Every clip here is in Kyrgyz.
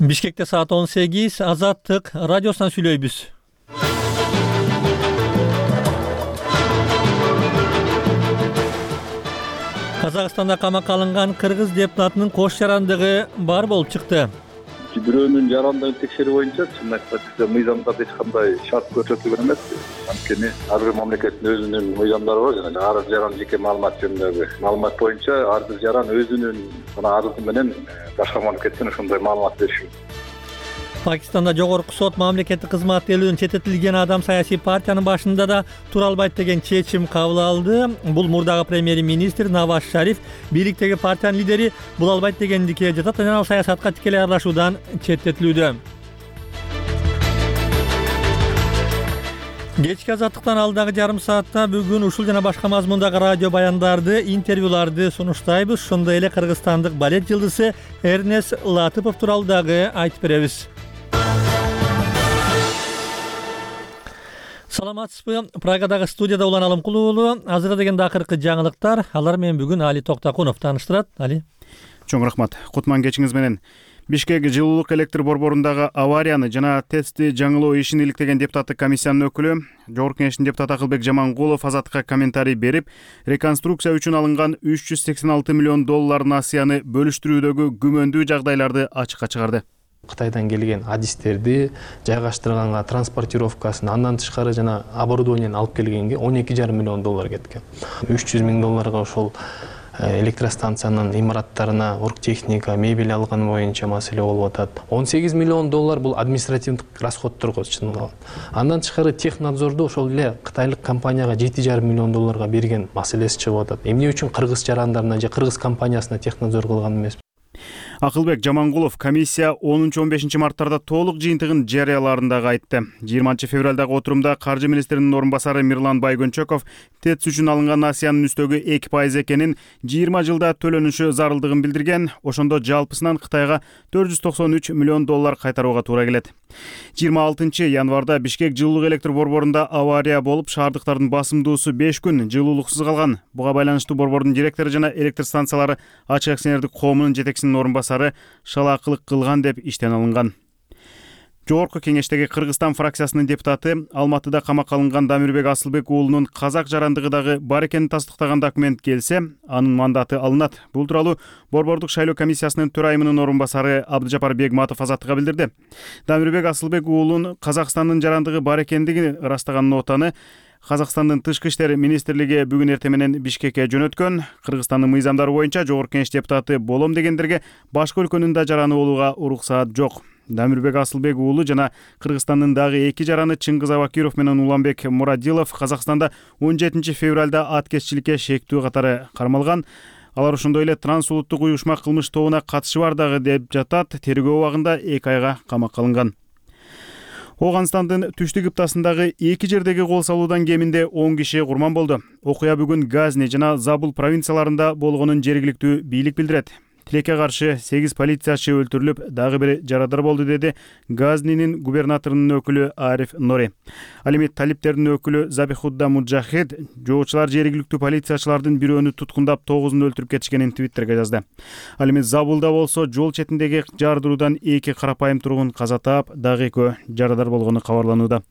Бишкекте саат 18, Азаттык радиосунан сүйлөйбүз. Казакстанда камакка алынган кыргыз депутатынын кош жарандыгы бар болуп чыкты. Бирөөнүн жарандыгын текшерүү боюнча чын айтсак мыйзамдарда эч кандай шарт көрсөтүлгөн эмес. Анткени ар бир мамлекеттин өзүнүн мыйзамдары бар жана ар бир жаран жеке маалымат жөнүндөгү маалымат боюнча ар бир жаран өзүнүн арызы менен башка мамлекеттен ошондой маалымат бериши. Пакистанда жогорку сот мамлекеттик кызматкерлигин чечетилген адам саясий партиянын башында да тура албайт деген чечим кабыл алды. Бул мурдагы премьер-министр Наваз Шариф бийликтеги партиянын лидери бул албайт дегендикке жатат жана ал саясатка тикелей аралашуудан четтетилүүдө. Кечки Азаттыктан алдагы жарым саатта бүгүн ушул жана башка мазмундагы радио баяндарды, интервьюларды сунуштайбыз. Ошондой эле кыргызстандык балет жылдызы Эрнес Латыпов тууралуу дагы айтып беребиз. Саламатсызбы? Прагадагы студияда Улан Алымкулуу уулу. Азыр дегенде акыркы жаңылыктар. Алар менен бүгүн Али Токтакунов тааныштырат. Али. Чоң рахмат. Кутман кечиңиз менен. Бишкек жылуулук электр борборундагы аварияны жана тестти жаңылоо ишин иликтеген депутаттык комиссиянын өкүлү, Жогорку Кеңештин депутаты Акылбек Жамангулов Азаттыкка комментарий берип, реконструкция үчүн алынган $386 миллион насыяны бөлүштүрүүдөгү күмөндүү жагдайларды ачыкка чыгарды. Кытайдан келген адистерди жайгаштырганга, транспортировкасын, андан тышкары жана оборудованияны алып келгенге $12,5 миллион кеткен. $300 миң ошол электростанциянын имараттарына оргтехника, мебель алган боюнча маселе болуп атат. $18 миллион бул административдик расходторго чыгылган. Андан тышкары технадзорду ошол эле кытайлык компанияга $7,5 миллион берген маселеси чыгып атат. Эмне үчүн кыргыз жарандарына же кыргыз компаниясына технадзор кылган эмес? Акылбек Жамангулов комиссия 10-15 марттарда толук жыйынтыгын жарыяларындагы айтты. 20 февралдагы отурумда каржы министринин орун басары Мирлан Байгөнчөков ТЭЦ үчүн алынган насыянын үстөгү 2% экенин 20 жылда төлөнүшү зарылдыгын билдирген. Ошондо жалпысынан Кытайга $493 миллион кайтарууга туура келет. 26 январда Бишкек жылуулук электр борборунда авария болуп, шаардыктардын басымдуусу 5 күн жылуулуксуз калган. Буга байланыштуу борбордун директору жана электр станциялары ачык акционердик коомунун жетекчисинин орун басары шалаакылык кылган деп иштен алынган. Жогорку Кеңештеги Кыргызстан фракциясынын депутаты Алматыда камакка алынган Дамирбек Асылбек уулунун казак жарандыгы дагы бар экенин тастыктаган документ келсе, анын мандаты алынат. Бул тууралуу борбордук шайлоо комиссиясынын төрайымынын орун басары Абдыжапар Бегматов Азаттыкка билдирди. Дамирбек Асылбек уулунун Казакстандын жарандыгы бар экендигин ырастаган нотаны Казакстандын тышкы иштер министрлиги бүгүн эртең менен Бишкекке жөнөткөн. Кыргызстандын мыйзамдары боюнча Жогорку Кеңеш депутаты болом дегендерге башка өлкөнүн да жараны болууга уруксаат жок. Дамирбек Асылбек уулу жана Кыргызстандын дагы эки жараны Чыңгыз Абакиров менен Уланбек Мурадилов Казакстанда 17 февралда аткезчиликке шектүү катары кармалган. Алар ошондой эле трансулуттук уюшма кылмыш тобуна катышы бар дагы деп жатат. Тергөө убагында 2 айга камакка алынган. Оганстандын түштүк кыптасындагы эки жердеги кол салуудан кеминде 10 киши курман болду. Окуя бүгүн Газни жана Забул провинцияларында болгонун жергиликтүү бийлик билдирет. Тилекке каршы 8 полициячы өлтүрүлүп, дагы бири жарадар болду, деди Газнинин губернаторунун өкүлү Ариф Нори. Ал эми талиптердин өкүлү Забихудда Муджахид жоочулар жергиликтүү полициячылардын бирөөнү туткундап 9-ун өлтүрүп кетишкенин Твиттерге жазды. Ал эми Забулда болсо жол четиндеги жардыруудан 2 карапайым тургун каза таап, дагы 2 жарадар болгону кабарланууда.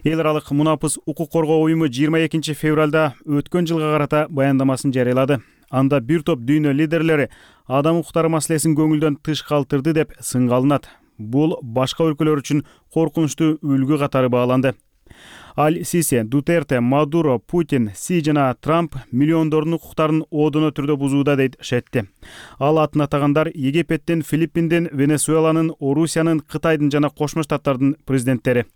Эл аралык мунапыс укук коргоо уюму 22 февралда өткөн жылга карата баяндамасын жарыялады. Анда бир топ дүйнө лидерлери адам укуктары маселесин көңүлдөн тыш калтырды деп сынга алынат. Бул башка өлкөлөр үчүн коркунучтуу үлгү катары бааланды. Аль-Сиси, Дутерте, Мадуро, Путин, Си жана Трамп миллиондордун укуктарын оодоно түрдө бузууда дейт Шетти. Ал атын атагандар Египеттин, Филиппиндин, Венесуэланын, Орусиянын, Кытайдын жана Кошмо Штаттардын президенттери.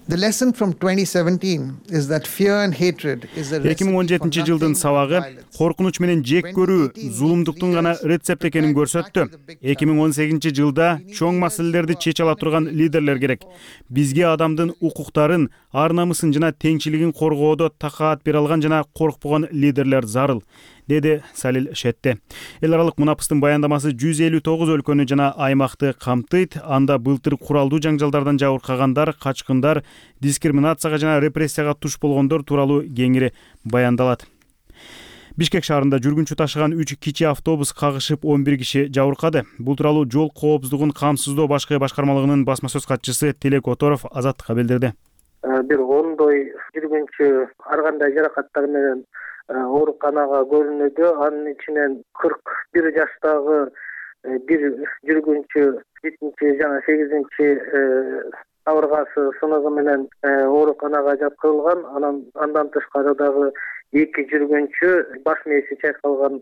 The lesson from 2017 is that fear and hatred is a recipe for 2017 жылдын сабагы коркунуч менен жек көрүү зулумдуктун гана рецепт экенин көрсөттү. 2018 жылда чоң маселелерди чече ала турган лидерлер керек. Бизге адамдын укуктарын, ар намысын жана теңчилигин коргоодо такаат бере алган жана коркпогон лидерлер зарыл, деди Салил Шетти. Эл аралык мунапыстын баяндамасы 159 өлкөнү жана аймакты камтыйт. Анда былтыр куралдуу жаңжалдардан жабыркагандар, качкындар, дискриминацияга жана репрессияга туш болгондор тууралуу кеңири баяндалат. Бишкек шаарында жүргүнчү ташыган 3 кичи автобус кагышып 11 киши жабыркады. Бул тууралуу жол коопсуздугун камсыздоо башкы башкармалыгынын басма сөз катчысы Тилек Которов Азаттыкка билдирди. Бир ондой жүргүнчү ар кандай жаракаттар менен ооруканага көрүнүүдө. Анын ичинен 41 жаштагы бир жүргүнчү 8-8 кабыргасы сыныгы менен ооруканага жаткырылган. Андан тышкары дагы 2 жүргүнчү баш мээси чайкалган.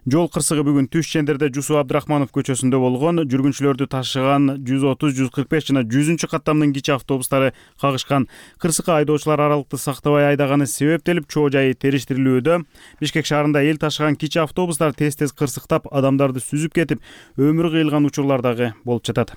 Жол кырсыгы бүгүн түш чендерде Жусу Абдрахманов көчөсүндө болгон. Жүргүнчүлөрдү ташыган 130, 145 жана 100 каттамдын кичи автобустары кагышкан. Кырсыкка айдоочулар аралыкты сактабай айдаганы себептелип, чоо жайы териштирилүүдө. Бишкек шаарында эл ташыган кичи автобустар тез кырсыктап, адамдарды сүзүп кетип, өмүрү кыйылган учурлар дагы болуп жатат.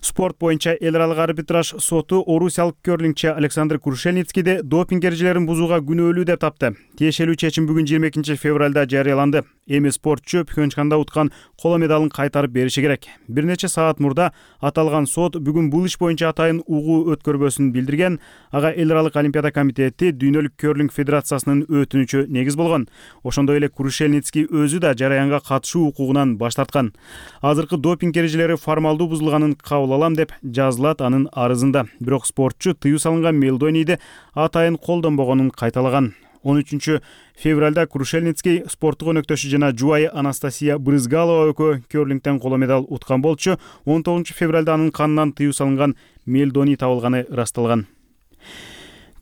Спорт боюнча эл аралык арбитраж соту орусиялык керлингчи Александр Крушельницкийди допинг эрежелерин бузууга күнөөлүү деп тапты. Тиешелүү чечим бүгүн 22 февралда жарыяланды. Эми спортчу Пхенчханда уткан коло медалын кайтарып бериши керек. Бир нече саат мурда аталган сот бүгүн бул иш боюнча атайын угуу өткөрбөсүн билдирген. Ага эл аралык олимпиада комитети Дүйнөлүк керлинг федерациясынын өтүнүчү негиз болгон. Ошондой эле Крушельницкий өзү да жараянга катышуу укугунан баш тарткан. Азыркы допинг эрежелери формалдуу бузулганын кабыл алам деп жазылат анын арызында. Бирок спортчу тыюу салынган мелдонийди атайын колдонбогонун кайталаган. 13 февралда Крушельницкий спорттук өнөктөшү жана жубайы Анастасия Брызгалова экөө керлингден коло медаль уткан болчу. 19 февралда анын канынан тыюу салынган мелдоний табылганы ырасталган.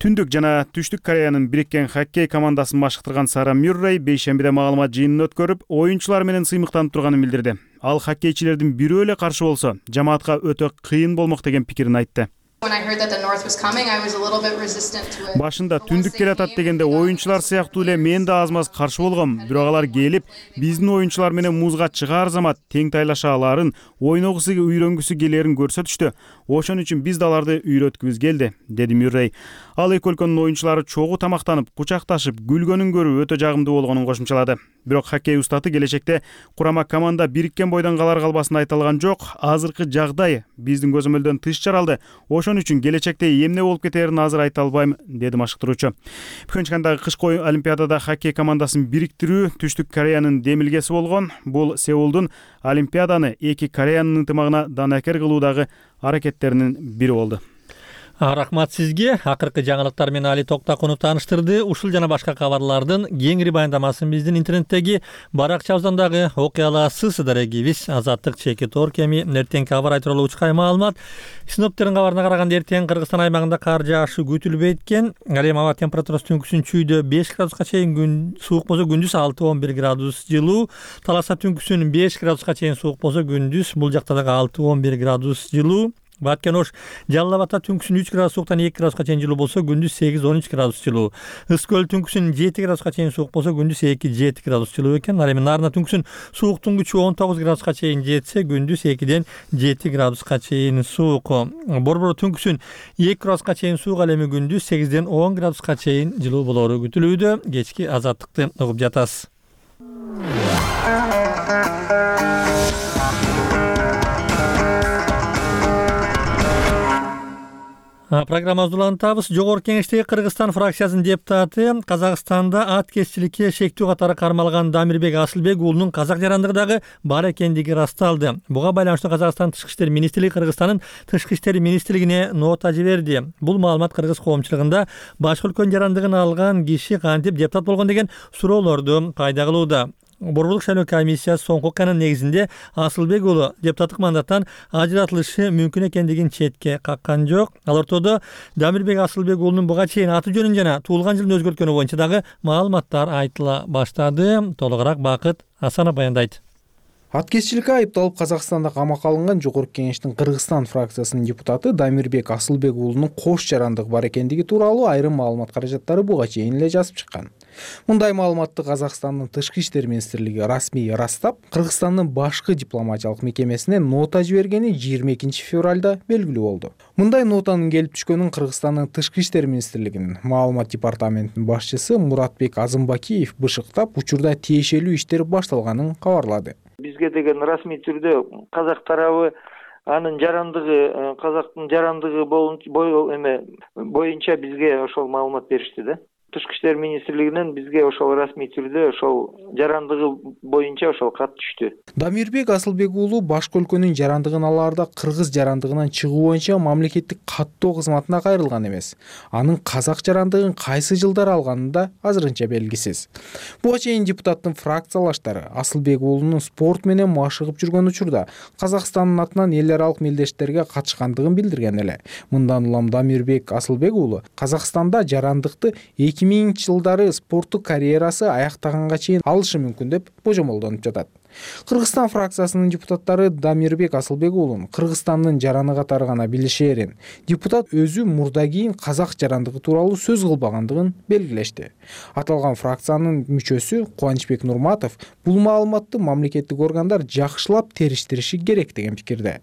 Түндүк жана Түштүк Кореянын бириккен хоккей командасын башкартырган Сара Мюррей бейшембиде маалымат жыйынын өткөрүп, оюнчулар менен сыймыктанып турганын билдирди. Ал хоккейчилердин бирөө эле каршы болсо, жамаатка өтө кыйын болмок деген пикирин айтты. Башында түндүк келатат дегенде оюнчулар сыяктуу эле мен да аз-маз каршы болгом. Бирок алар келип, биздин оюнчулар менен музга чыгаар замат тең тайлаша аларын, ойногусу үйрөнгүсү келерин көрсөтүштү. Ошон үчүн биз да аларды үйрөткүбүз келди, деди Мюррей. Ал эки өлкөнүн оюнчулары чогуу тамактанып, кучакташып, күлгөнүн көрүү өтө жагымдуу болгонун кошумчалады. Бирок хоккей устаты келечекте курама команда бириккен бойдон калар калбасын айта алган жок. Азыркы жагдай биздин көзөмөлдөн тыш жаралды. Ошон үчүн келечекте эмне болуп кетерин азыр айта албайм, деди машыктыруучу. Пхенчхандагы кышкы олимпиадада хоккей командасын бириктирүү Түштүк Кореянын демилгеси болгон. Бул Сеулдун олимпиаданы эки Кореянын ынтымагына данакер кылуудагы аракеттеринин бири болду. Рахмат сизге. Акыркы жаңылыктар менен Али Токтакунов тааныштырды. Ушул жана башка кабарлардын кеңири баяндамасын биздин интернеттеги баракчабыздан дагы окуй аласыз. Дарегибиз Азаттык чекит Оркеми эртеңки кабар тууралуу учкай маалымат. Синоптиктердин кабарына караганда эртең Кыргызстан аймагында кар жаашы күтүлбөйт экен. Ал эми аба температурасы түнкүсүн чүйдө 5 градуска чейин суук болсо күндүз 6-11 градус жылуу. Таласа түнкүсүн 5 градуска чейин суук болсо күндүз бул жакта дагы 6-11 градус жылуу. Баткен Ош Жалал Абадта түнкүсүн 3 градус сууктан 2 градуска чейин жылуу болсо күндүз 8-13 градус жылуу. Ыс көл түнкүсүн 7 градуска чейин суук болсо күндүз 2-7 градус жылуу экен. Ал эми Нарына түнкүсүн сууктун күчү 19 градуска чейин жетсе күндүз 2-ден 7 градуска чейин суук. Борбор түнкүсүн 2 градуска чейин суук, ал эми күндүз 8-ден 10 градуска чейин жылуу болору күтүлүүдө. Кечки Азаттыкты угуп жатасыз. Программабызды улантабыз. Жогорку Кеңештеги Кыргызстан фракциясынын депутаты Казакстанда ат кесчиликке шектүү катары кармалган Дамирбек Асылбек уулунун казак жарандыгы дагы бар экендиги ырасталды. Буга байланыштуу Казакстан Тышкы иштер министрлиги Кыргызстандын Тышкы иштер министрлигине нота жиберди. Бул маалымат кыргыз коомчулугунда башка өлкөнүн жарандыгын алган киши кантип депутат болгон деген суроолорду пайда кылууда. Борборлук шайлоо комиссиясы соңку канун негизинде Асылбек уулу депутаттык мандаттан ажыратылышы мүмкүн экендигин четке каккан жок. Ал ортодо Дамирбек Асылбек уулунун буга чейин аты жөнүн жана туулган жылын өзгөрткөнү боюнча дагы маалыматтар айтыла баштады. Толугураак Бакыт Асанов баяндайт. Аткезчиликке айыпталып Казакстанда камакка алынган Жогорку Кеңештин Кыргызстан фракциясынын депутаты Дамирбек Асылбек уулунун кош жарандыгы бар экендиги тууралуу айрым маалымат каражаттары буга чейин эле жазып чыккан. Мындай маалыматты Казакстандын Тышкы иштер министрлиги расмий ырастап, Кыргызстандын башкы дипломатиялык мекемесине нота жибергени 22 февралда белгилүү болду. Мындай нотанын келип түшкөнүн Кыргызстандын Тышкы иштер министрлигинин маалымат департаментинин башчысы Муратбек Азымбакиев бышыктап, учурда тиешелүү иштер башталганын кабарлады. Бизге деген расмий түрдө казак тарабы анын жарандыгы, казактын жарандыгы боюнча бизге ошол маалымат беришти да. Тышкы иштер министрлигинен бизге ошол расмий түрдө ошол жарандыгы боюнча ошол кат түштү. Дамирбек Асылбек уулу башка өлкөнүн жарандыгын алаарда кыргыз жарандыгынан чыгуу боюнча мамлекеттик каттоо кызматына кайрылган эмес. Анын казак жарандыгын кайсы жылдары алганы да азырынча белгисиз. Буга чейин депутаттын фракциялаштары Асылбек уулунун спорт менен машыгып жүргөн учурда Казакстандын атынан эл аралык мелдештерге катышкандыгын билдирген эле. Мындан улам Дамирбек Асылбек уулу Казакстанда жарандыкты 2000 жылдары спорттук карьерасы аяктаганга чейин алышы мүмкүн деп божомолдонуп жатат. Кыргызстан фракциясынын депутаттары Дамирбек Асылбек уулун Кыргызстандын жараны катары гана билишээрин, депутат өзү мурда кийин казак жарандыгы тууралуу сөз кылбагандыгын белгилешти. Аталган фракциянын мүчөсү Кубанычбек Нурматов бул маалыматты мамлекеттик органдар жакшылап териштириши керек деген пикирде.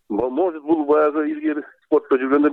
Может, бул баягы илгери спортто жүргөндө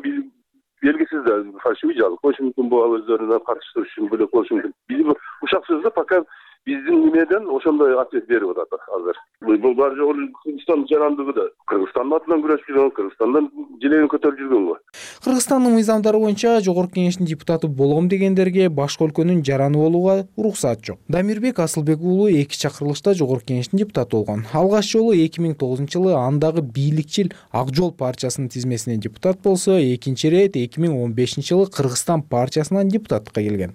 белгисиз да фальшивый жаңылык болушу мүмкүн, бул өздөрүнө каршы туруш үчүн бөлөк болушу мүмкүн. Биздин ушак сөздө пока биздин немеден ошондой ответ берип атат азыр. Бул бар жогу Кыргызстан жарандыгы да Кыргызстандын атынан күрөшүп жүргөн, Кыргызстандан желегин көтөрүп жүргөн го. Кыргызстандын мыйзамдары боюнча Жогорку Кеңештин депутаты болом дегендерге башка өлкөнүн жараны болууга уруксат жок. Дамирбек Асылбек уулу 2 чакырылышта Жогорку Кеңештин депутаты болгон. Алгач жолу 2009-жылы андагы бийликчил Ак Жол партиясынын тизмесинен депутат болсо, экинчи ирет 2015-жылы Кыргызстан партиясынан депутаттыкка келген.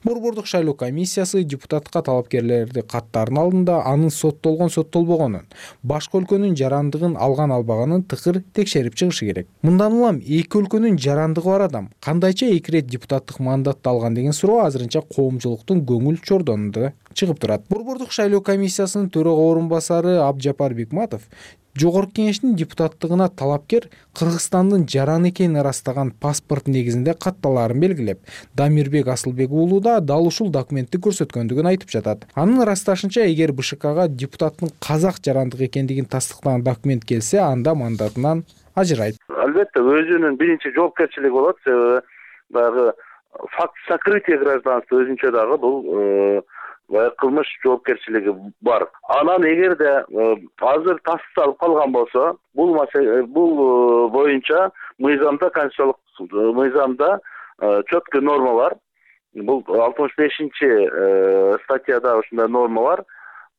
Борбордук шайлоо комиссиясы депутатка талапкерлерди каттардын алдында анын соттолбогонун, башка өлкөнүн жарандыгын алган албаганын тыкыр текшерип чыгышы керек. Мындан улам эки өлкөнүн жарандыгы бар адам кандайча 2 ирет депутаттык мандатты алган деген суроо азырынча коомчулуктун көңүл чордонунда чыгып турат. Борбордук шайлоо комиссиясынын төрага орун басары Абжапар Бекматов Жогорку Кеңештин депутаттыгына талапкер Кыргызстандын жараны экенин ырастаган паспорт негизинде катталаарын белгилеп, Дамирбек Асылбек уулу да дал ушул документти көрсөткөндүгүн айтып жатат. Анын ырасташынча, эгер БШКга депутаттын казак жарандыгы экендигин тастыктаган документ келсе, анда мандатынан ажырайт. Албетте, өзүнүн биринчи жоопкерчилиги болот. Себеби баягы факт сокрытия гражданства өзүнчө дагы бул кылмыш жоопкерчилиги бар. Анан эгерде азыр тасып алып калган болсо, бул боюнча мыйзамда, конституциялык мыйзамда четкий норма бар. Бул 65 статьяда ушундай норма бар.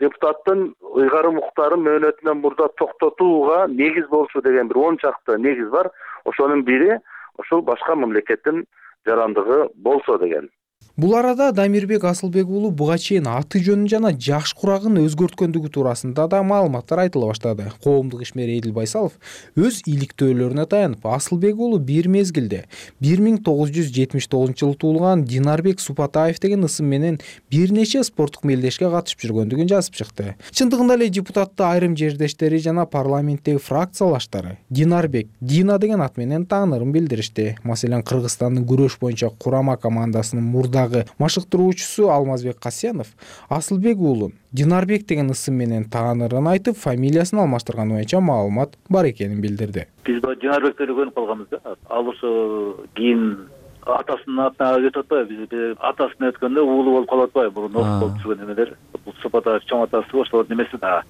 Депутаттын ыйгарым укуктарын мөөнөтүнөн мурда токтотууга негиз болчу деген бир 10 чакты негиз бар. Ошонун бири ошол башка мамлекеттин жарандыгы болсо деген. Бул арада Дамирбек Асылбек уулу буга чейин аты жөнүн жана жаш курагын өзгөрткөндүгү туурасында да маалыматтар айтыла баштады. Коомдук ишмер Эдил Байсалов өз иликтөөлөрүнө таянып, Асылбек уулу бир мезгилде 1979-жылы туулган Динарбек Супатаев деген ысым менен бир нече спорттук мелдешке катышып жүргөндүгүн жазып чыкты. Чындыгында эле депутатты айрым жердештери жана парламенттеги фракциялаштары Динарбек, Дина деген ат менен таанырын билдиришти. Маселен, Кыргызстандын күрөш боюнча курама командасынын мурдагы машыктыруучусу Алмазбек Касьянов Асылбек уулун Динарбек деген ысым менен таанырын айтып, фамилиясын алмаштырганы боюнча маалымат бар экенин билдирди. Биз Динарбекти көрүп калганбыз да. Ал ошо кийин атасынын атына кетип атпайбы? Биз атасына өткөндө уулу болуп калып атпайбы? Мурун болуп жүргөн эмелер. Бул Супатаев чоң атасы ошол немеси да.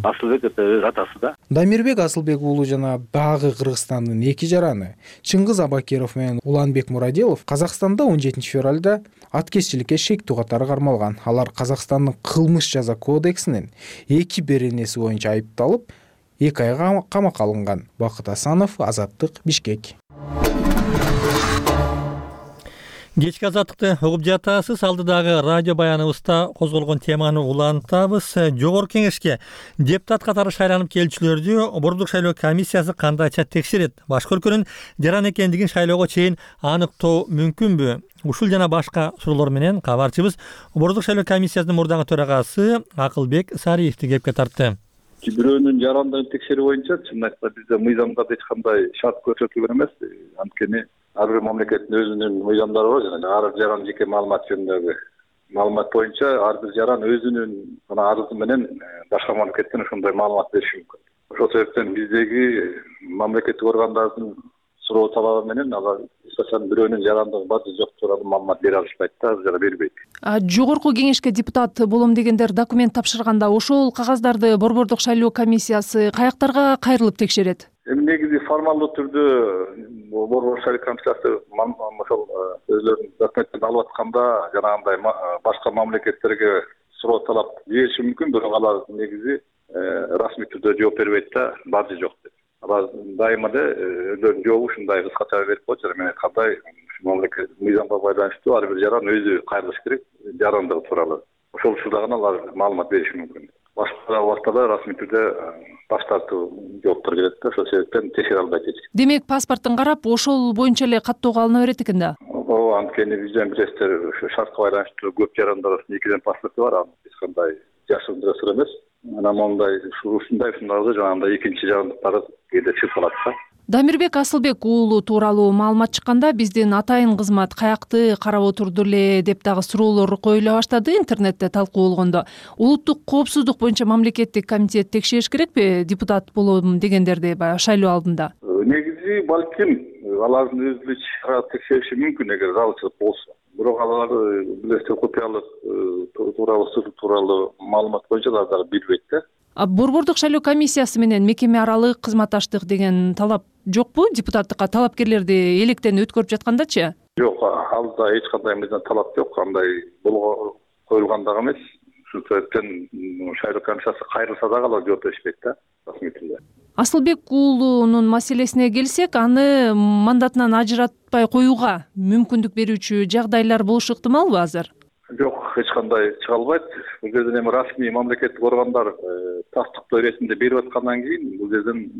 Асылбек өз атасы да. Дамирбек Асылбек уулу жана дагы Кыргызстандын 2 жараны Чыңгыз Абакиров менен Уланбек Мурадилов Казакстанда 17 февралда аткезчиликке шектүү катары кармалган. Алар Казакстандын кылмыш жаза кодексинин 2 беренеси боюнча айыпталып, 2 айга камакка алынган. Бакыт Асанов, Азаттык, Бишкек. Кечки азаттыкты угуп жатасыз. Алдыдагы радио баяныбызда козголгон теманы улантабыз. Жогорку Кеңешке депутат катары шайланып келүүчүлөрдү Борбордук шайлоо комиссиясы кандайча текшерет? Башка өлкөнүн жаран экендигин шайлоого чейин аныктоо мүмкүнбү? Ушул жана башка суроолор менен кабарчыбыз Борбордук шайлоо комиссиясынын мурдагы төрагасы Акылбек Сариевди кепке тартты. Бирөөнүн жарандыгын текшерүү боюнча чын айтса бизде мыйзамда эч кандай шарт көрсөтүлгөн эмес. Анткени ар бир мамлекеттин өзүнүн мыйзамдары бар жана ар бир жаран жеке маалымат жөнүндөгү маалымат боюнча ар бир жаран өзүнүн арызы менен башка мамлекеттен ошондой маалымат бериши мүмкүн. Ошол себептен биздеги мамлекеттик органдардын суроо талабы менен алар эсасан бирөөнүн жарандыгы бар же жок тууралуу маалымат бере алышпайт да, жана бербейт. Жогорку Кеңешке депутат болом дегендер документ тапшырганда ошол кагаздарды Борбордук шайлоо комиссиясы каяктарга кайрылып текшерет? Эми негизи формалдуу түрдө Борбор шайлоо комиссиясы ошол өзлөрүнүн документтин алып атканда жанагындай башка мамлекеттерге суроо талап жибериши мүмкүн, бирок алар негизи расмий түрдө жооп бербейт да, бар же жок деп. Алар дайыма да өздөрүнүн жообу ушундай кыскача берип коет. Мен айткандай мамлекет мыйзамга байланыштуу ар бир жаран өзү кайрылыш керек жарандыгы тууралуу. Ошол учурда гана алар маалымат бериши мүмкүн. Башка убактта расмий түрдө баш тартуу жооптор келет да, ошол себептен текшере албайт эч ким. Демек паспорттун карап ошол боюнча эле каттоого алына берет экен да. Ооба, анткени бизден билесиздер, ошо шартка байланыштуу көп жарандар арасында экиден паспорту бар, аны эч кандай жашырындыра сыр эмес. Анан мондай ушундайларды жанагындай экинчи жарандыктары кээде чыгып калат да. Дамирбек Асылбек уулу тууралуу маалымат чыкканда биздин атайын кызмат каякты карап отурду эле деп дагы суроолор коюла баштады интернетте талкуу болгондо. Улуттук коопсуздук боюнча мамлекеттик комитет текшериш керекпи депутат болом дегендерди баягы шайлоо алдында? Негизи балким алардын өзү текшериши мүмкүн эгер зарылчылык болсо. Бирок алар билесиздер купуялык тууралуу маалымат боюнча алар дагы билбейт да. Борбордук шайлоо комиссиясы менен мекеме аралык кызматташтык деген талап жокпу? Депутаттыкка талапкерлерди электен өткөрүп жаткандачы? Жок, алда эч кандай мындан талап жок, андай коюлган дагы эмес. Ушул себептен шайлоо комиссиясы кайрылса дагы алар жооп беришпейт да, расмий түрдө. Асылбек уулунун маселесине келсек, аны мандатынан ажыратпай коюуга мүмкүндүк берүүчү жагдайлар болушу ыктымалбы азыр? Жок, эч кандай чыга албайт. Бул жерден эми расмий мамлекеттик органдар тастыктоо иретинде берип аткандан кийин бул жерден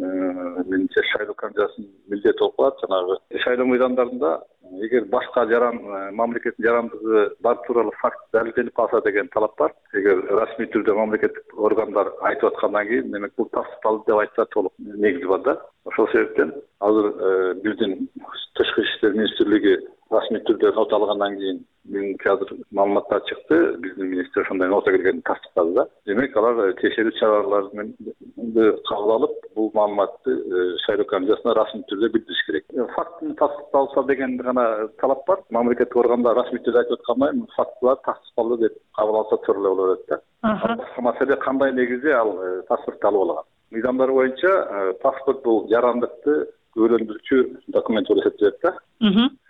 менимче шайлоо комиссиясынын милдети болуп калат. Жанагы шайлоо мыйзамдарында эгер башка мамлекеттин жарандыгы бар тууралуу факт далилденип калса деген талап бар. Эгер расмий түрдө мамлекеттик органдар айтып аткандан кийин, демек бул тастыкталды деп айтса толук негизи бар да. Ошол себептен азыр биздин Тышкы иштер министрлиги расмий түрдө нота алгандан кийин бүгүнкү азыр маалыматтар чыкты, биздин министр ошондой нота келгенин тастыктады да. Демек алар текшерүү чараларын кабыл алып, бул маалыматты шайлоо комиссиясына расмий түрдө билдириш керек. Фактын тастыкталса деген гана талап бар. Мамлекеттик органдар расмий түрдө айтып аткандай, фактылар тастыкталды деп кабыл алса туура эле болот да. Башка маселе кандай негизде ал паспортду алып алган. Мыйзамдар боюнча паспорт бул жарандыкты көөлөндүрүүчү документ болуп эсептелет да.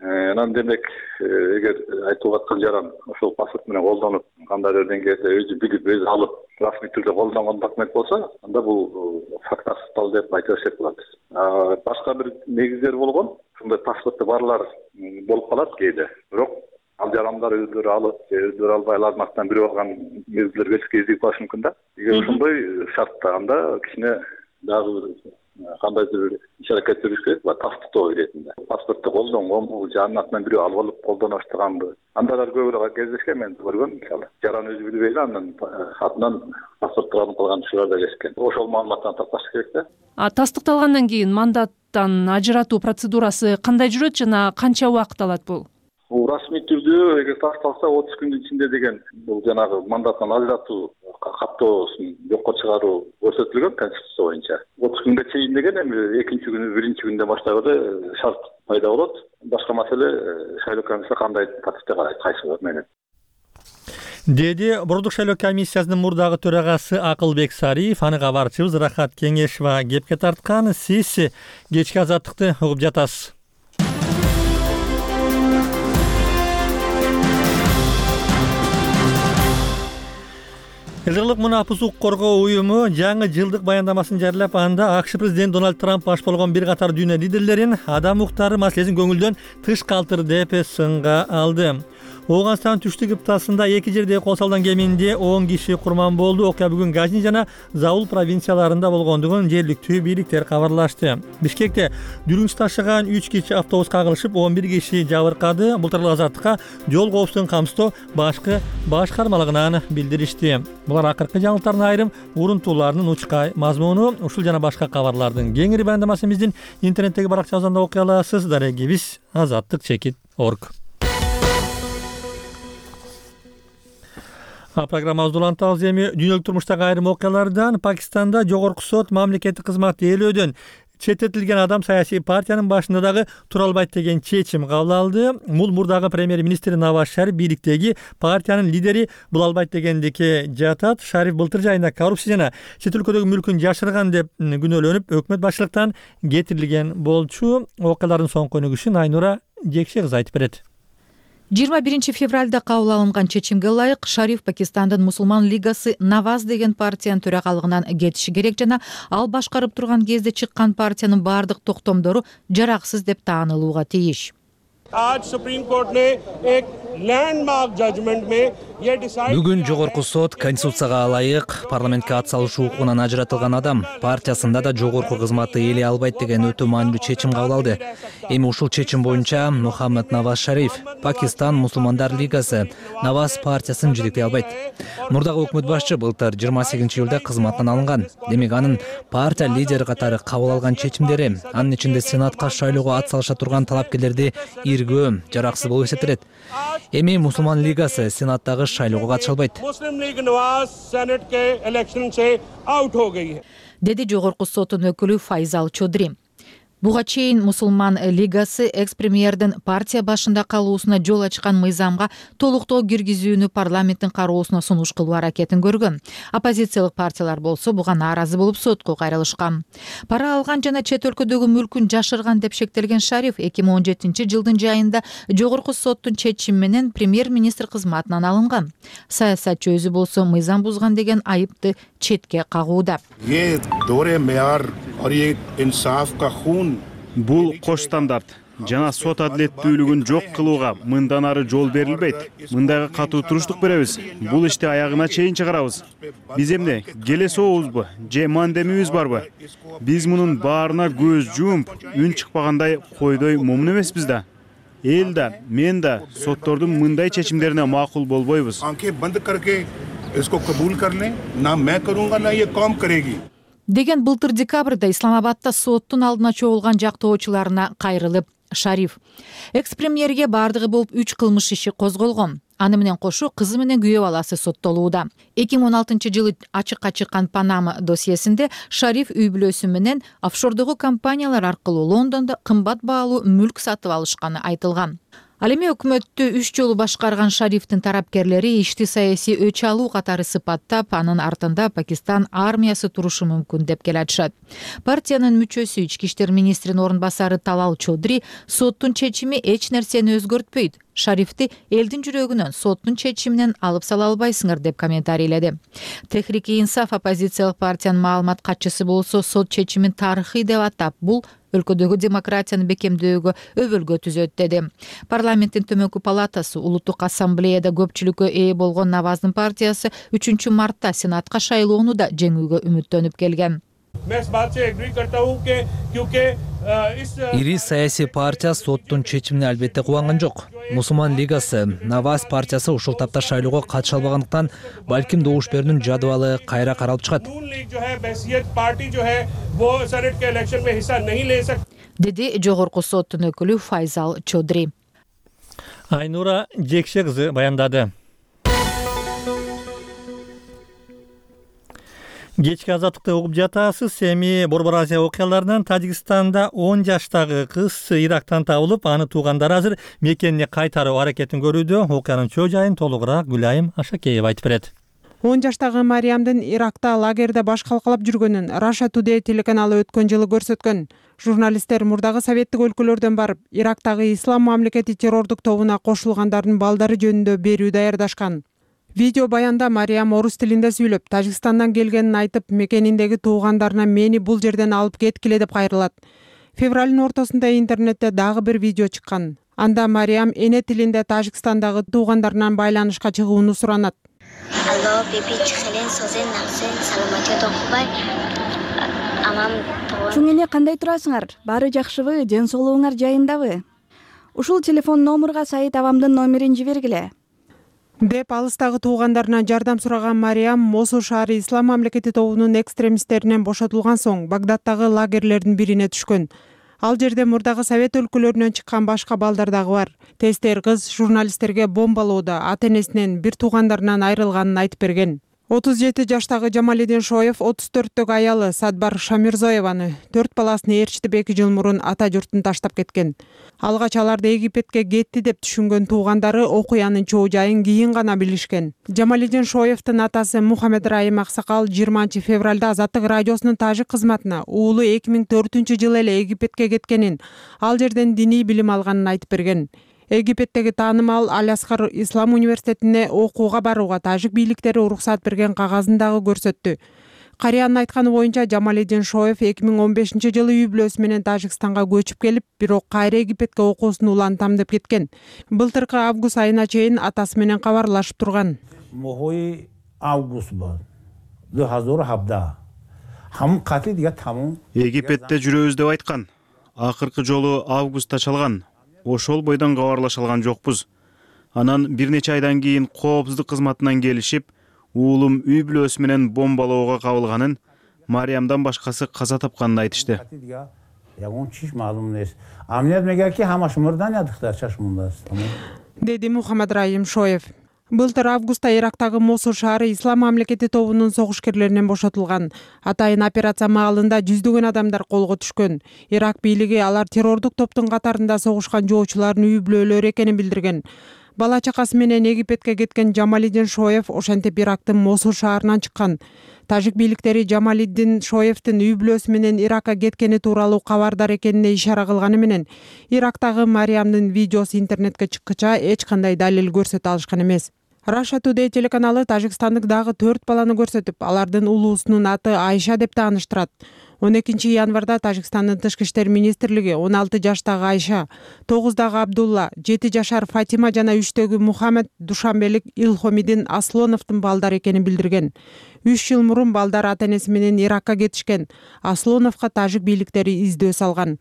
Анан демек эгер айтылып аткан жаран ошол паспорт менен колдонуп, кандайдыр деңгээлде өзү билип, өзү алып, расмий түрдө колдонгон документ болсо, анда бул факт тастыкталды деп айта берсек болот. Башка бир негиздер болгон, ушундай паспорту барлар болуп калат кээде. Бирок ал жарандар өздөрү алып, өздөрү албай алардын артынан бирөө алган мезгилдер кезип калышы мүмкүн да. Эгер ошондой шартта, анда кичине дагы кандайдыр иш-аракет жүрүш керек, тастыктоо иретинде. Паспортду колдонгонбу, жанын атынан бирөө алып алып колдоно баштаганбы? Андайлар көп эле кездешкен, мен көргөм, мисалы. Жаран өзү билбей эле андан атынан паспортду алып калган учурлар да кездешкен. Ошол маалыматтан такташ керек да. Тастыкталгандан кийин мандаттан ажыратуу процедурасы кандай жүрөт жана канча убакыт алат бул? Расмий түрдө эгер тасталса 30 күндүн ичинде деген бул жанагы мандаттан ажыратуу каттоосун жокко чыгаруу көрсөтүлгөн конституция боюнча. 30 күнгө чейин деген эми экинчи күнү, биринчи күндөн баштап эле шарт пайда болот. Башка маселе шайлоо комиссиясы кандай тартипте карайт, кайсы менен. Деди Борбордук шайлоо комиссиясынын мурдагы төрагасы Акылбек Сариев. Аны кабарчыбыз Рахат Кеңешова кепке тарткан. Сиз кечки азаттыкты угуп жатасыз. Элдирлик мунапыс укук коргоо уюму жаңы жылдык баяндамасын жарыялап, анда АКШ президенти Дональд Трамп баш болгон бир катар дүйнө лидерлерин адам укуктары маселесин көңүлдөн тыш калтырды деп сынга алды. Ооганстан түштүк кыптасында эки жерде кол салган кеминде 10 киши курман болду. Окуя бүгүн Газни жана Заул провинцияларында болгондугун жергиликтүү бийликтер кабарлашты. Бишкекте дүрүңч ташыган 3 кичи автобус кагылышып, 11 киши жабыркады. Былтыркы азаттыкка жол коопсуздугун камсыздоо башкармалыгынан билдиришти. Булар акыркы жаңылыктардын айрым урунтууларынын учкай мазмуну. Ушул жана башка кабарлардын кеңири баяндамасын биздин интернеттеги баракчабыздан да окуй аласыз. Дарегибиз azattik.org. Программабызды улантабыз. Эми дүйнөлүк турмуштагы айрым окуялардан. Пакистанда жогорку сот мамлекеттик кызмат ээлөөдөн Чететилген адам саясий партиянын башында дагы тура албайт деген чечим кабыл алды. Бул мурдагы премьер-министр Наваз Шариф бийликтеги партиянын лидери бул албайт дегендикке жатат. Шариф былтыр жайында коррупция жана чет өлкөдөгү мүлкүн жашырган деп күнөөлөнүп, өкмөт башчылыктан кетирилген болчу. Окуялардын соңку өнүгүшүн Айнура Жекше кызы айтып берет. 21 февралда кабыл алынган чечимге ылайык Шариф Пакистандын Мусулман лигасы Наваз деген партиянын төрагалыгынан кетиши керек жана ал башкарып турган кезде чыккан партиянын баардык токтомдору жараксыз деп таанылууга тийиш. Бүгүн жогорку сот Конституцияга ылайык парламентке ат салышуу укугунан ажыратылган адам партиясында да жогорку кызматты ээлей албайт деген өтө маанилүү чечим кабыл алды. Эми ушул чечим боюнча Мухаммад Наваз Шариф Пакистан Мусулмандар лигасы Наваз партиясын жетектей албайт. Мурдагы өкмөт башчы былтыр 28-июлда кызматтан алынган. Демек анын партия лидери катары кабыл алган чечимдери, анын ичинде сенатка шайлоого ат салыша турган талапкерлерди иргөө, жараксыз болуп эсептелет. Эми Мусулман лигасы сенаттагы шайлоого катыша албайт. Деди жогорку соттун өкүлү Файзал Чодри. Буга чейин Мусулман лигасы экс-премьердин партия башында калуусуна жол ачкан мыйзамга толуктоо киргизүүнү парламенттин кароосуна сунуш кылуу аракетин көргөн. Оппозициялык партиялар болсо буга нааразы болуп сотко кайрылышкан. Пара алган жана чет өлкөдөгү мүлкүн жашырган деп шектелген Шариф 2017-жылдын жайында жогорку соттун чечими менен премьер-министр кызматынан алынган. Саясатчы өзү болсо мыйзам бузган деген айыпты четке кагууда. Бул кош стандарт жана сот адилеттүүлүгүн жок кылууга мындан ары жол берилбейт. Мындайга катуу туруштук беребиз. Бул ишти аягына чейин чыгарабыз. Биз эмне келесообузбу же мандемибиз барбы? Биз мунун баарына көз жумуп, үн чыкпагандай койдой момун эмеспиз да. Эл да, мен да соттордун мындай чечимдерине макул болбойбуз. Деген былтыр декабрда Исламабадда соттун алдына чогулган жактоочуларына кайрылып Шариф. Экс-премьерге бардыгы болуп 3 кылмыш иши козголгон. Аны менен кошо кызы менен күйөө баласы соттолууда. 2016-жылы ачыкка чыккан Панама досьесинде Шариф үй бүлөсү менен офшордогу компаниялар аркылуу Лондондо кымбат баалуу мүлк сатып алышканы айтылган. Ал эми өкмөттү 3 жолу башкарган Шарифтин тарапкерлери ишти саясий өч алуу катары сыпаттап, анын артында Пакистан армиясы турушу мүмкүн деп келатышат. Партиянын мүчөсү ички иштер министринин орун басары Талал Чодри соттун чечими эч нерсени өзгөртпөйт. Шарифти элдин жүрөгүнөн соттун чечиминен алып сала албайсыңар деп комментарийледи. Техрик-и-Инсаф оппозициялык партиянын маалымат катчысы болсо сот чечимин тарыхый деп атап, бул өлкөдөгү демократияны бекемдөөгө өбөлгө түзөт деди. Парламенттин төмөнкү палатасы улуттук ассамблеяда көпчүлүккө ээ болгон Наваздын партиясы 3-мартта сенатка шайлоону да жеңүүгө үмүттөнүп келген. Ири саясий партия соттун чечимине албетте кубанган жок. Мусулман лигасы Наваз партиясы ушул тапта шайлоого катыша албагандыктан балким добуш берүүнүн жадыбалы кайра каралып чыгат. Деди жогорку соттун өкүлү Файзал Чодри. Айнура Жекше кызы баяндады. Кечки азаттыкты угуп жатасыз. Эми Борбор Азия окуяларынан Тажикстанда 10 жаштагы кыз Ирактан табылып, аны туугандары азыр мекенине кайтаруу аракетин көрүүдө. Окуянын чоо жайын толугураак Гүлайым Ашакеева айтып берет. 10 жаштагы Мариямдын Иракта лагерде баш калкалап жүргөнүн Russia Today телеканалы өткөн жылы көрсөткөн. Журналисттер мурдагы советтик өлкөлөрдөн барып, Ирактагы ислам мамлекети террордук тобуна кошулгандардын балдары жөнүндө берүү даярдашкан. Видео баянда Мариям орус тилинде сүйлөп, Тажикстандан келгенин айтып, мекениндеги туугандарына мени бул жерден алып кеткиле деп кайрылат. Февралдын ортосунда интернетте дагы бир видео чыккан. Анда Мариям эне тилинде Тажикстандагы туугандарынан байланышка чыгууну суранат. Чуң эне, кандай турасыңар? Баары жакшыбы? Ден соолугуңар жайындабы? Ушул телефон номурга Саид абамдын номерин жибергиле. Деп алыстагы туугандарынан жардам сураган Мариям Мосул шаары ислам мамлекети тобунун экстремисттеринен бошотулган соң Багдадтагы лагерлердин бирине түшкөн. Ал жерде мурдагы совет өлкөлөрүнөн чыккан башка балдар дагы бар. Тестер кыз журналисттерге бомбалоодо ата-энесинен бир туугандарынан айрылганын айтып берген. 37 жаштагы Жамалидин Шоев 34-төгү аялы Садбар Шамирзоеваны 4 баласын ээрчитип 2 жыл мурун ата журтун таштап кеткен. Алгач аларды Египетке кетти деп түшүнгөн туугандары окуянын чоо жайын кийин гана билишкен. Жамалидин Шоевдин атасы Мухаммед Раим Аксакал 20 февралда Азаттык радиосунун тажик кызматына уулу 2004-жылы эле Египетке кеткенин, ал жерден диний билим алганын айтып берген. Египеттеги таанымал Аль-Асхар Ислам университетине окууга барууга тажик бийликтери уруксат берген кагазын дагы көрсөттү. Карыянын айтканы боюнча Жамалидин Шоев 2015-жылы үй бүлөсү менен Тажикстанга көчүп келип, бирок кайра Египетке окуусун улантам деп кеткен. Былтыркы август айына чейин атасы менен кабарлашып турган. Mohoi август бол. 2017. Хам каты дига таму. Египетте жүрөбүз деп айткан. Акыркы жолу августта чалган. Ошол бойдон кабарлаша алган жокпуз. Анан бир нече айдан кийин коопсуздук кызматынан келишип, уулум үй бүлөсү менен бомбалоого кабылганын, Мариямдан башкасы каза тапканын айтышты. Деди Мухаммед Раим Шоев. Былтыр августта Ирактагы Мосул шаары Ислам мамлекети тобунун согушкерлеринен бошотулган. Атайын операция маалында жүздөгөн адамдар колго түшкөн. Ирак бийлиги алар террордук топтун катарында согушкан жоочулардын үй бүлөлөрү экенин билдирген. Бала чакасы менен Египетке кеткен Жамалидин Шоев ошентип Ирактын Мосул шаарынан чыккан. Тажик бийликтери Жамалидин Шоевдин үй бүлөсү менен Иракка кеткени тууралуу кабардар экенине ишара кылганы менен Ирактагы Мариямдын видеосу интернетке чыккыча эч кандай далил көрсөтө алышкан эмес. Russia Today телеканалы Тажикстандык дагы 4 баланы көрсөтүп, алардын улуусунун аты Айша деп тааныштырат. 12 январда Тажикстандын тышкы иштер министрлиги 16 жаштагы Айша, 9-дагы Абдулла, 7 жашар Фатима жана 3-төгү Мухаммед Душанбелик Илхомидин Аслоновдун балдары экенин билдирген. 3 жыл мурун балдар ата-энеси менен Иракка кетишкен. Аслоновго тажик бийликтери издөө салган.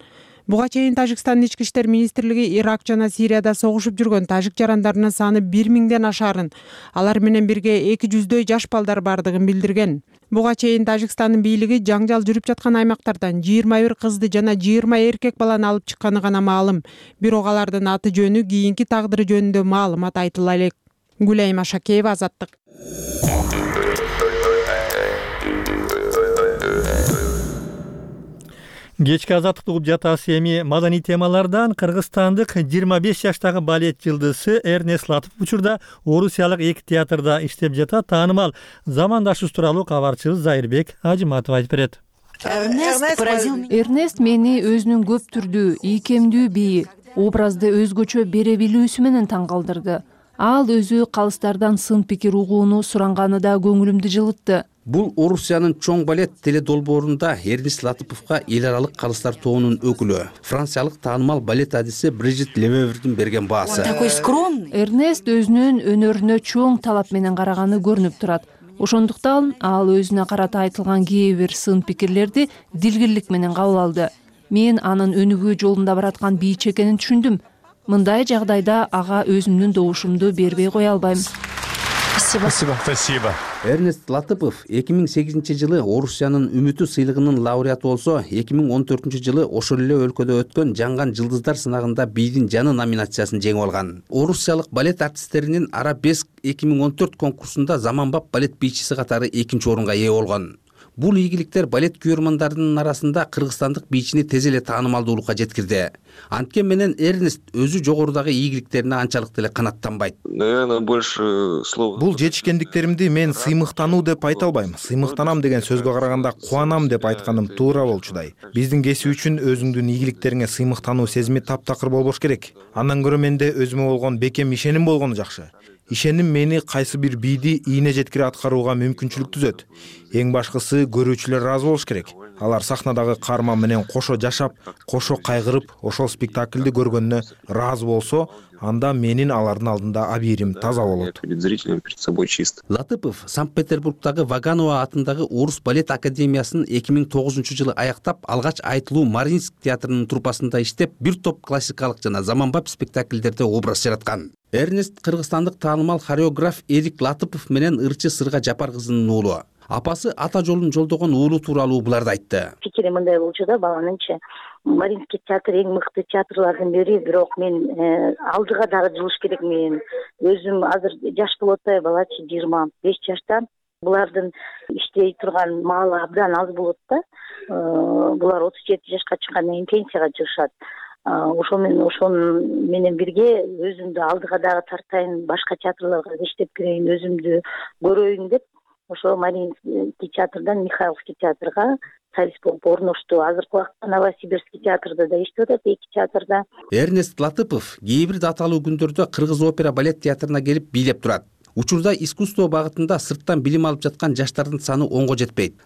Буга чейин Тажикстандын ички иштер министрлиги Ирак жана Сирияда согушуп жүргөн тажик жарандарынын саны 1000ден ашарын, алар менен бирге 200дөй жаш балдар бардыгын билдирген. Буга чейин Тажикстандын бийлиги жаңжал жүрүп жаткан аймактардан 21 кызды жана 20 эркек баланы алып чыкканы гана маалым. Бирок алардын аты жөнү, кийинки тагдыры жөнүндө маалымат айтыла элек. Гулайма Шакеева, Азаттык. Кечки Азаттыкты угуп жатасыз. Эми маданий темалардан Кыргызстандык 25 жаштагы балет жылдызы Эрнест Латыпов учурда Орусиялык 2 театрда иштеп жатат. Таанымал замандашыбыз тууралуу кабарчыбыз Зайырбек Ажиматов айтып берет. Эрнест мени өзүнүн көп түрдүү, ийкемдүү бии, образды өзгөчө бере билүүсү менен таң калтырды. Ал өзү калыстардан сын пикир угууну суранганы да көңүлүмдү жылытты. Бул Орусиянын чоң балет теледолбоорунда Эрнест Латыповго эл аралык калыстар тобунун өкүлү, франциялык таанымал балет адиси Брижит Левевердин берген баасы. Эрнест өзүнүн өнөрүнө чоң талап менен караганы көрүнүп турат. Ошондуктан ал өзүнө карата айтылган кээ бир сын пикирлерди дилгирлик менен кабыл алды. Мен анын өнүгүү жолунда бараткан бийчи экенин түшүндүм. Мындай жагдайда ага өзүмдүн добушумду бербей кое албайм. Спасибо. Эрнест Латыпов 2008-жылы Орусиянын Үмүтү сыйлыгынын лауреаты болсо, 2014-жылы ошол эле өлкөдө өткөн Жанган жылдыздар сынагында бийдин жаны номинациясын жеңип алган. Орусиялык балет артисттеринин Арабеск 2014 конкурсунда заманбап балет бийчиси катары 2-нчи орунга ээ болгон. Бул ийгиликтер балет күйөрмандарынын арасында кыргызстандык бийчини тез эле таанымалдуулукка жеткирди. Анткени менен Эрнест өзү жогорудагы ийгиликтерине анчалык деле канааттанбайт. Бул жетишкендиктеримди мен сыймыктануу деп айта албайм. Сыймыктанам деген сөзгө караганда кубанам деп айтканым туура болчудай. Биздин кесип үчүн өзүңдүн ийгиликтериңе сыймыктануу сезими таптакыр болбош керек. Андан көрө менде өзүмө болгон бекем ишеним болгону жакшы. Ишеним мени кайсы бир бийди ийне жеткире аткарууга мүмкүнчүлүк түзөт. Эң башкысы көрүүчүлөр ыраазы болуш керек. Алар сахнадагы каарман менен кошо жашап, кошо кайгырып, ошол спектакльди көргөнүнө ыраазы болсо, анда менин алардын алдында абийирим таза болот. Латыпов Санкт-Петербургдагы Ваганова атындагы Орус балет академиясын 2009-жылы аяктап, алгач Айтылуу Мариинск театрынын труппасында иштеп, бир топ классикалык жана заманбап спектакльдерде образ жараткан. Эрнест кыргызстандык таанымал хореограф Эрик Латыпов менен ырчы Сырга Жапар кызынын уулу. Апасы ата жолун жолдогон уулу тууралуу буларды айтты. Пикири мындай болчу да, баланынча Мариинский театр эң мыкты театрлардын бири, бирок мен алдыга дагы жылыш керек. Мен өзүм азыр жаш болуп атпайбы, балачы 25 жаштан Булардын иштей турган маалы абдан аз болот да. Булар 37 жашка чыккандан кийин пенсияга чыгышат. Ошону менен бирге өзүмдү алдыга дагы тартайын, башка театрларга иштеп кирейин, өзүмдү көрөйүн деп ошо Мариинский театрдан Михайловский театрга солист болуп орношту. Азыркы убакта Новосибирский театрда да иштеп атат, 2 театрда. Эрнест Латыпов кээ бир даталуу күндөрдө Кыргыз опера балет театрына келип бийлеп турат. Учурда искусство багытында сырттан билим алып жаткан жаштардын саны 10го жетпейт.